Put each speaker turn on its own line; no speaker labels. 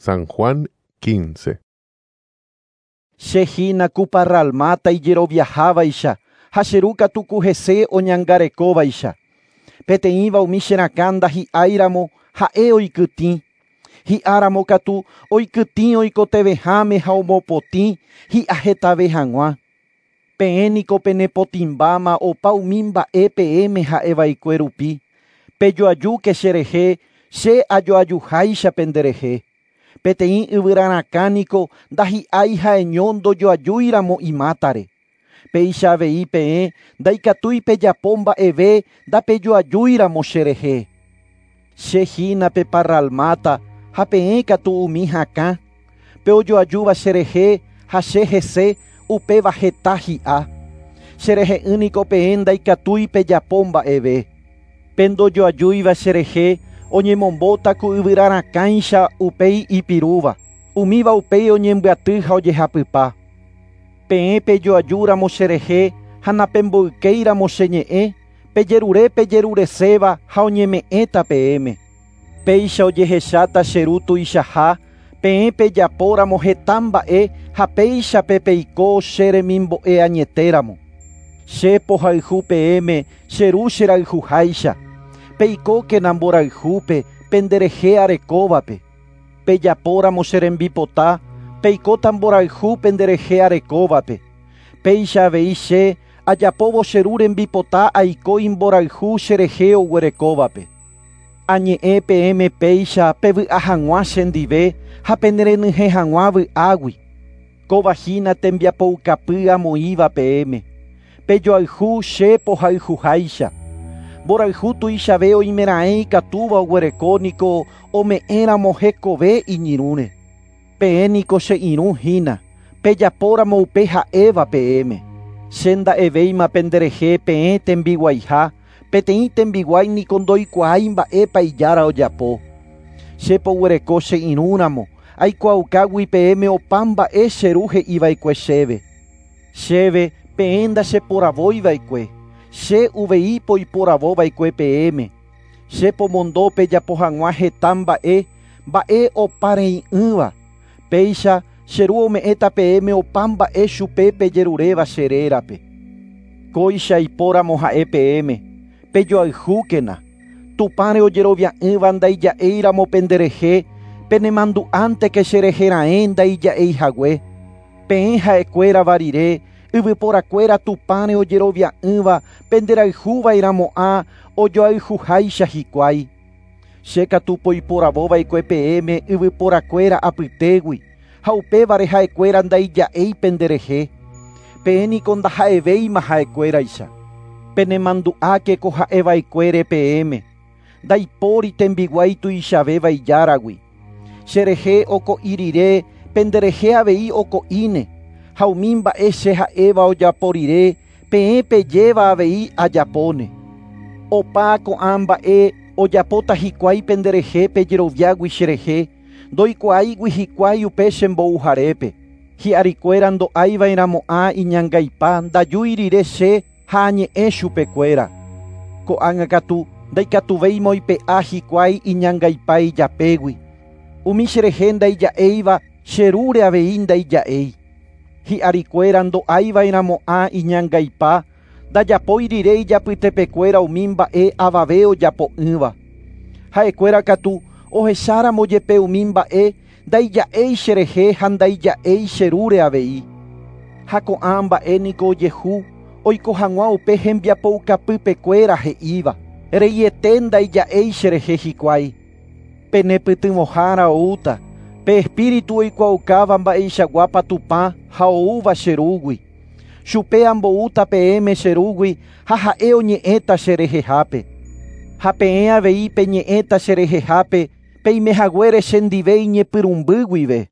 San Juan 15.
Che hína ku parralmáta ijeroviahávaicha ha che ru katu ku hese oñangarekóvaicha. Peteĩva umi che rakã ndahi'áiramo ha'e oikytĩ. Hi'áramo katu oikytĩ oikotevẽháme ha omopotĩ hi'ahetave hag̃ua. Peẽ niko penepotĩmbáma opa umi mba'e peẽme ha'eva'ekue rupi. Pejoajúke cherehe che ajoajuháicha penderehe. Peteĩ yvyrarakã niko ndahi'ái ha'eño ndojoajúiramo imátare. Péicha avei peẽ ndaikatúi pejapo mba'eve ndapejoajúiramo cherehe. Che hína pe parralmáta ha peẽ katu umi hakã. Pe ojoajúva cherehe ha che hese upéva heta hi'a. Cherehe'ỹ niko peẽ ndaikatúi pejapo mba'eve. Pe ndojoajúiva cherehe oñemombóta ku yvyrarakãicha upéi ipirúva. Umíva upéi oñembyaty ha ojehapypa. Peẽ pejoajúramo cherehe ha napemboykéiramo che ñe'ẽ, pejerure pejerureséva ha oñeme'ẽta peẽme. Péicha ojehecháta che ru tuichaha, peẽ pejapóramo heta mba'e ha péichape peiko che remimbo'e añetéramo. Che pohayhu peẽme che ru cherayhuháicha. Peikókena mborayhúpe penderehe arekóvape. Pejapóramo che rembipota, peikóta mborayhu penderehe arekóvape. Péicha avei che ajapóvo che ru rembipota aiko imborayhu cherehe oguerekóvape. Añe'ẽ peẽme péicha pevy'a hag̃ua chendive ha penerenyhẽ hag̃ua vy'águi. Kóva hína tembiapoukapy amoĩva peẽme. Pejoayhu che pohayhuháicha. Mborayhu tuichave oimeraẽ ikatúva oguereko niko ome'ẽramo hekove iñirũre. Peẽ niko che irũ hína, pejapóramo upe ha'éva peẽme. Che nda'evéima penderehe peẽ tembiguaiha, peteĩ tembiguái niko ndoikuaái mba'épa ijára ojapo. Che poguereko che irũramo, aikuaaukagui peẽme opa mba'e che ru he'iva'ekue chéve. Chéve peẽ ndacheporavóiva'ekue, che uvei poiporavova'ekue peẽme. Che pomondo pejapo hag̃ua heta mba'e, mba'e oparei'ỹva. Péicha che ru ome'ẽta peẽme opa mba'e chupe pejeruréva che rérape. Kóicha ipóramo ha'e peẽme, pejoayhúkena. Tupãre ojerovia'ỹva ndaija'éiramo penderehe, penemandu'ánteke cherehe raẽ ndaija'eihague. Peẽ ha'ekuérava rire, yvyporakuéra Tupãre ojerovia'ỹva penderayhuva'erãmo'ã ojoayhuháicha hikuái. Che katu poiporavova'ekue peẽme yvyporakuéra apytégui, ha upévare ha'ekuéra ndaija'éi penderehe. Peẽ niko ndaha'evéima ha'ekuéraicha. Penemandu'áke ko ha'eva'ekuére peẽme. Ndaipóri tembiguái tuichavéva ijáragui. Cherehe oko'i rire, penderehe avei oko'íne. Ha umi mba'e che ha'éva ojapo rire, peẽ pejéva avei ajapóne. Opa ko'ã mba'e ojapóta hikuái penderehe pejeroviágui cherehe, ndoikuaáigui hikuái upe chembouharépe. Hi'arikuéra ndo'aiva'erãmo'ã iñangaipa ndajúi rire che ha añe'ẽ chupekuéra. Ko'ág̃a katu ndaikatuvéima oipe'a hikuái iñangaipa ijapégui. Umi cherehe ndaija'éiva che rúre avei ndaija'éi. Hi'arikuéra ndo'aiva'erãmo'ã iñangaipa ndajapói rire ijapytepekuéra umi mba'e avave ojapo'ỹva. Ha'ekuéra katu ohecháramo jepe umi mba'e ndaija'éi cherehe ha ndaija'éi che rúre avei. Ha ko'ã mba'e niko ojehu oiko hag̃ua upe hembiapoukapypekuéra he'íva. Reiete ndaija'éi cherehe hikuái. Penepytyvõhára oúta, pe espíritu oikuaaukáva mba'eichaguápa Tupã ha oúva che rúgui. Chupe amboúta peẽme che rúgui ha ha'e oñe'ẽta cherehehápe. Ha peẽ avei peñe'ẽta cherehehápe peimehaguére chendive iñepyrũmby guive.